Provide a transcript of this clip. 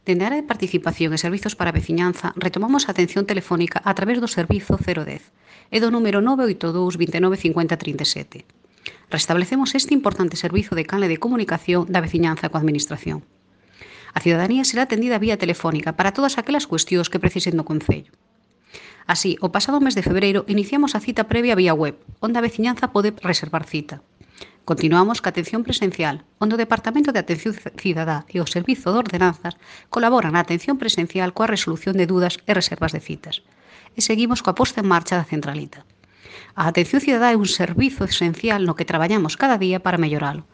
Dende a área de participación e servizos para a veciñanza, retomamos a atención telefónica a través do servizo 010 e do número 982 29 50 37. Restablecemos este importante servizo de canle de comunicación da veciñanza coa Administración. A cidadanía será atendida vía telefónica para todas aquelas cuestións que precisen do Concello. Así, o pasado mes de febreiro iniciamos a cita previa vía web, onde a veciñanza pode reservar cita. Continuamos ca atención presencial, onde o Departamento de Atención Cidadá e o Servizo de Ordenanzas colaboran na atención presencial coa resolución de dudas e reservas de citas. E seguimos coa posta en marcha da centralita. A atención cidadá é un servizo esencial no que traballamos cada día para melloralo,